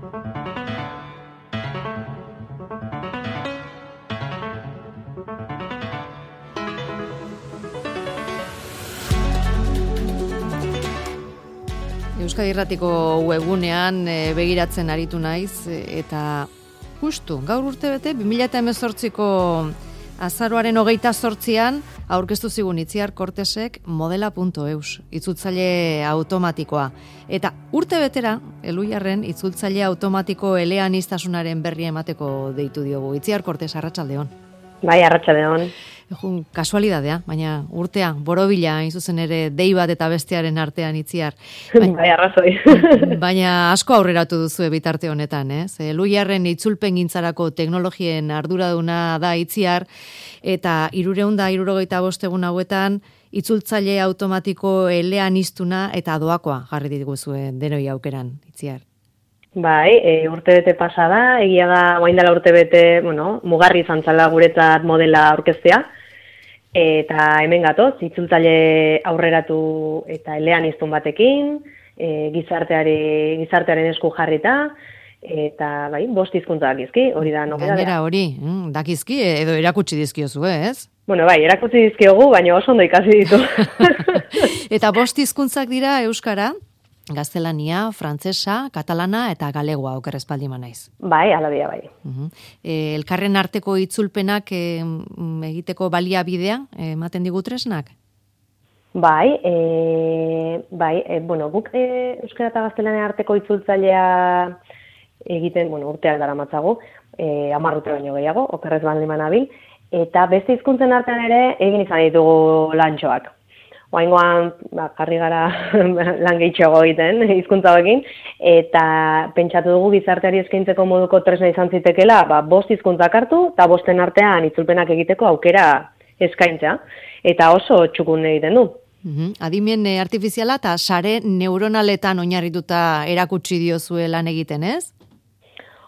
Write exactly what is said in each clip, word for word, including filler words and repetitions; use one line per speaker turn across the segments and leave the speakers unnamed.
Euskadi Irratiko webgunean e, begiratzen aritu naiz e, eta justu gaur urtebete bi mila hemezortziko azaroaren hogeita zortzian aurkeztu zigun Itziar Kortesek modela puntu eus, itzultzaile automatikoa. Eta urtebetera, Elhuyarren itzultzaile automatiko eleaniztasunaren berri emateko deitu diogu. Itziar Kortes, arratsaldeon.
Bai, arratsaldeon.
Ejun, kasualidadea, baina urtea, borobila, hain zuzen ere, dei bat eta bestearen artean Itziar.
Baina, bai, arrazoi.
Baina asko aurreratu duzu bitarte honetan, ez? Elhuyarren itzulpen gintzarako teknologien arduraduna da Itziar, eta hirurehun eta hirurogeita bost egun hauetan, itzultzaile automatiko eleaniztuna eta doakoa jarri dituzue denoi aukeran, Itziar.
Bai, e, urtebete pasada, egia da, guain dela urtebete, bueno, mugarri izan zala guretzat modela aurkeztea, eta hemen gatoz, itzultzaile aurreratu eta eleaniztun batekin, e, gizarteari, gizartearen esku jarrita, eta bai, bost hizkuntza dakizki, hori da nobedadea.
Gainera hori, mm, dakizki edo erakutsi dizkiozu, ez?
Bueno, bai, erakutsi dizkiogu, baina oso ondo ikasi ditu.
Eta bost hizkuntzak dira euskara? Gaztelania, frantsesa, katalana eta galegoa oker espaldi naiz.
Bai, ala dira, bai.
Uh-huh. E, elkarren arteko itzulpenak e, egiteko baliabidea ematen digu tresnak?
Bai, e, bai, e, bueno, guk e, euskara eta gaztelania arteko itzultzailea egiten, bueno, urteak dara matzagu, e, hamar urte baino gehiago, okerrez baldin nabil, eta beste hizkuntzen artean ere egin izan ditugu lantxoak. Oaingoan, ba, jarri gara lan gehitxoago egiten, hizkuntza hauekin, eta pentsatu dugu gizarteari eskaintzeko moduko tresna izan zitekela, ba, bost hizkuntzak hartu, eta bosten artean itzulpenak egiteko aukera eskaintza, eta oso txukun egiten du.
Uhum. Adimen artifiziala eta sare neuronaletan oinarrituta erakutsi diozue lan egiten, ez?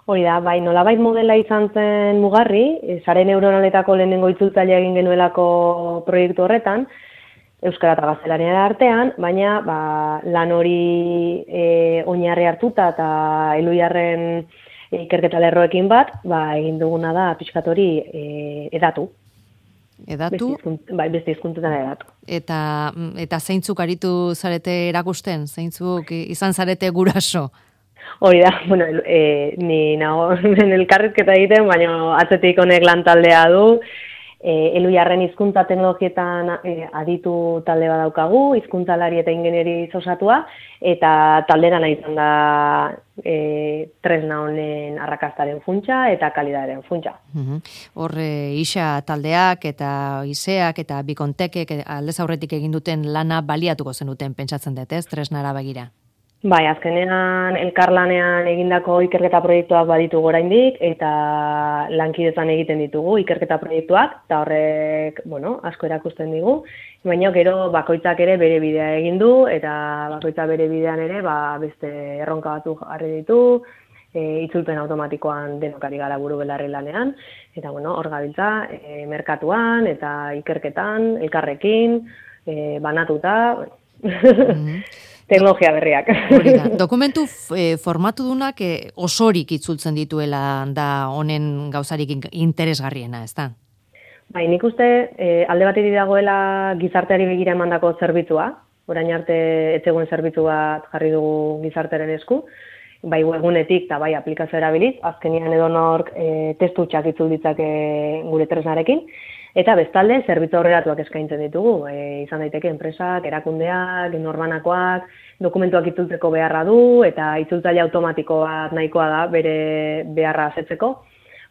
Hori da, bai, nolabait modela izan zen mugarri, sare neuronaletako lehenengo itzultzailea egin genuelako proiektu horretan, euskara eta gaztelania artean, baina ba, lan hori e, oinarri hartuta eta Elhuyarren ikerketa lerroekin bat, ba, egin duguna da pixkat hori e, edatu.
Edatu?
Beste bai, beste hizkuntzetan edatu.
Eta, eta zeintzuk aritu zarete erakusten? Zeintzuk izan zarete guraso?
Hori da, bueno, e, ni nago elkarrizketa egiten, baina atzetik honek lan taldea du, E, Elhuyarren hizkuntza teknologietan e, aditu talde bat daukagu, hizkuntzalari eta ingenieri osatua, eta talderan izan da e, tresna honen arrakastaren funtsa eta kalidadaren funtsa.
Hor, e, isa taldeak eta iseak eta bikontekek aldez aurretik egin duten lana baliatuko zenuten pentsatzen dut, ez, tresnara begira?
Bai, azkenean elkarlanean egindako ikerketa proiektuak baditu oraindik eta lankidetzan egiten ditugu ikerketa proiektuak, eta horrek, bueno, asko erakusten digu, baina gero bakoitzak ere bere bidea egin du eta bakoitzak bere bidean ere ba, beste erronka batzuk jarri ditu, e, itzulpen automatikoan denokari gara buru belarri lanean, eta bueno, hor gabiltza e, merkatuan eta ikerketan, elkarrekin, e, banatuta, mm-hmm. Teknologia berriak.
Dokumentu e, formatu dunak e, osorik itzultzen dituela da honen gauzarik interesgarriena, ez da?
Bai, nik uste e, alde batetik dagoela gizarteari begira emandako zerbitzua, orain arte ez zegoen zerbitzu bat jarri dugu gizartearen esku, bai webgunetik eta bai aplikazio erabiliz, azkenian edonork e, testutxak itzul ditzake gure tresnarekin, eta bestalde zerbitzu aurreratuak eskaintzen ditugu, e, izan daiteke enpresak, erakundeak, norbanakoak, dokumentuak itzultzeko beharra du, eta itzultzaile automatiko bat nahikoa da bere beharra asetzeko,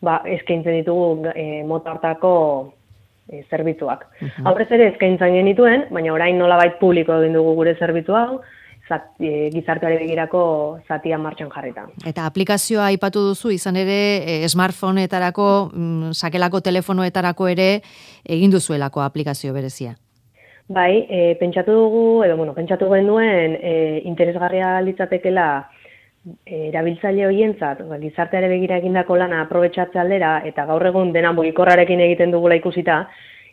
ba, eskaintzen ditugu e, mota hartako e, zerbitzuak. Uh-huh. Aurrez ere eskaintzen genituen, baina orain nolabait publiko egin dugu gure zerbitzu hau, zat, e, gizarteari begirako zatia martxan jarrita.
Eta aplikazioa aipatu duzu, izan ere e, smartphoneetarako, mm, sakelako telefonoetarako ere egin duzuelako aplikazio berezia.
Bai, e, pentsatu dugu, edo bueno, pentsatu genuen e, interesgarria litzatekela e, erabiltzaile horientzat, ba, gizarteare begira egindako lana aprobetxatze aldera, eta gaur egun dena mugikorrarekin egiten dugula ikusita,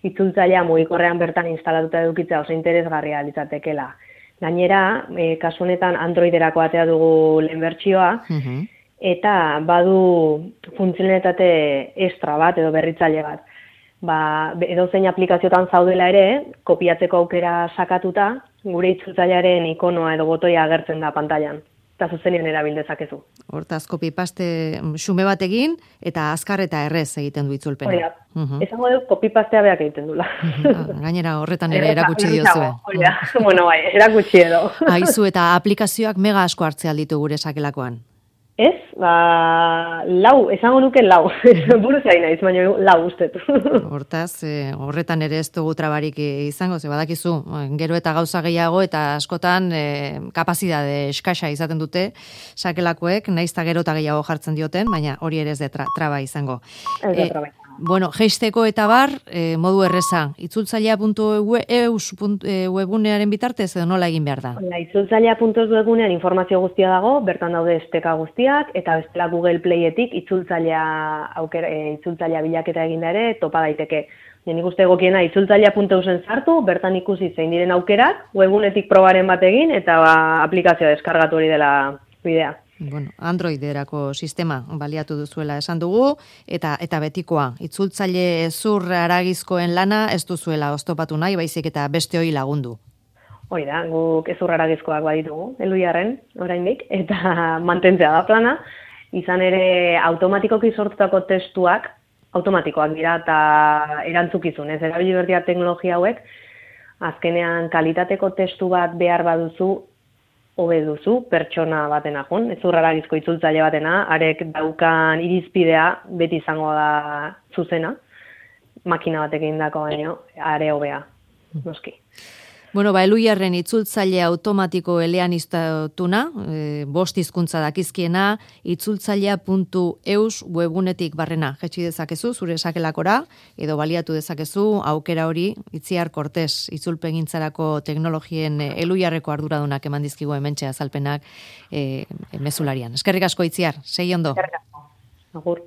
itzultzailea mugikorrean bertan instalatuta edukitzea oso interesgarria litzatekela. Gainera, e, kasu honetan Androiderako atea dugu lehen bertsioa, uh-huh. eta badu funtzionalitate extra bat edo berritzaile bat. Ba, edozein aplikaziotan zaudela ere, kopiatzeko aukera sakatuta, gure itzultzailearen ikonoa edo botoia agertzen da pantailan. Eta zuzenean erabil dezakezu.
Hortaz, copy-paste xume bat egin, eta azkar eta errez egiten du itzulpena.
Hori da. Esango dut, copy-pastea beak egiten dula.
Gainera horretan ere erakutsi diozue.
Hori da, bueno, bai, erakutsi edo.
Aizu, eta aplikazioak mega asko hartzea ditu gure sakelakoan.
Ez, ba, lau, esango nuke lau. Buruz ari naiz, baina lau ustet.
Hortaz, e, horretan ere ez dugu trabarik izango, ze badakizu, gero eta gauza gehiago eta askotan e, kapazidade eskasa izaten dute sakelakoek, naiz eta gero eta gehiago jartzen dioten, baina hori ere ez de tra traba izango.
Ez de traba.
Bueno, geisteko eta bar, e, modu erreza, itzultzailea puntu eus webgunearen bitartez edo nola egin behar da?
Itzultzailea puntu eus webgunean informazio guztia dago, bertan daude esteka guztiak, eta bestela Google Playetik itzultzailea aukera, e, itzultzailea bilaketa eginda ere topa daiteke. Nik uste egokiena itzultzailea puntu eusen sartu, bertan ikusi zein diren aukerak, webgunetik probaren bat egin, eta ba, aplikazioa deskargatu hori dela bidea.
Bueno, Androiderako sistema baliatu duzuela esan dugu, eta eta betikoa, itzultzaile zur haragizkoen lana ez duzuela oztopatu nahi, baizik eta beste hori lagundu.
Hori da, guk ezur haragizkoak baditugu, Eluiarren, oraindik, eta mantentzea da plana, izan ere automatikoki sortutako testuak, automatikoak dira eta erantzukizun, ez erabili berdia teknologia hauek, azkenean kalitateko testu bat behar baduzu, hobe duzu, pertsona batena jun, ez urraragizko itzultzaile batena, arek daukan irizpidea beti izango da zuzena, makina batekin dako baino, are hobea, noski.
Bueno, ba, Eluiarren itzultzaile automatiko eleaniztatuna, e, bost hizkuntza dakizkiena, itzultzailea puntu eus webgunetik barrena jetxi dezakezu, zure sakelakora, edo baliatu dezakezu, aukera hori, Itziar Kortes, itzulpegintzarako teknologien Eluiarreko arduradunak eman dizkigu hementxe azalpenak e, mezularian. Eskerrik asko, Itziar, segi ondo.
Eskerrik asko. Agur.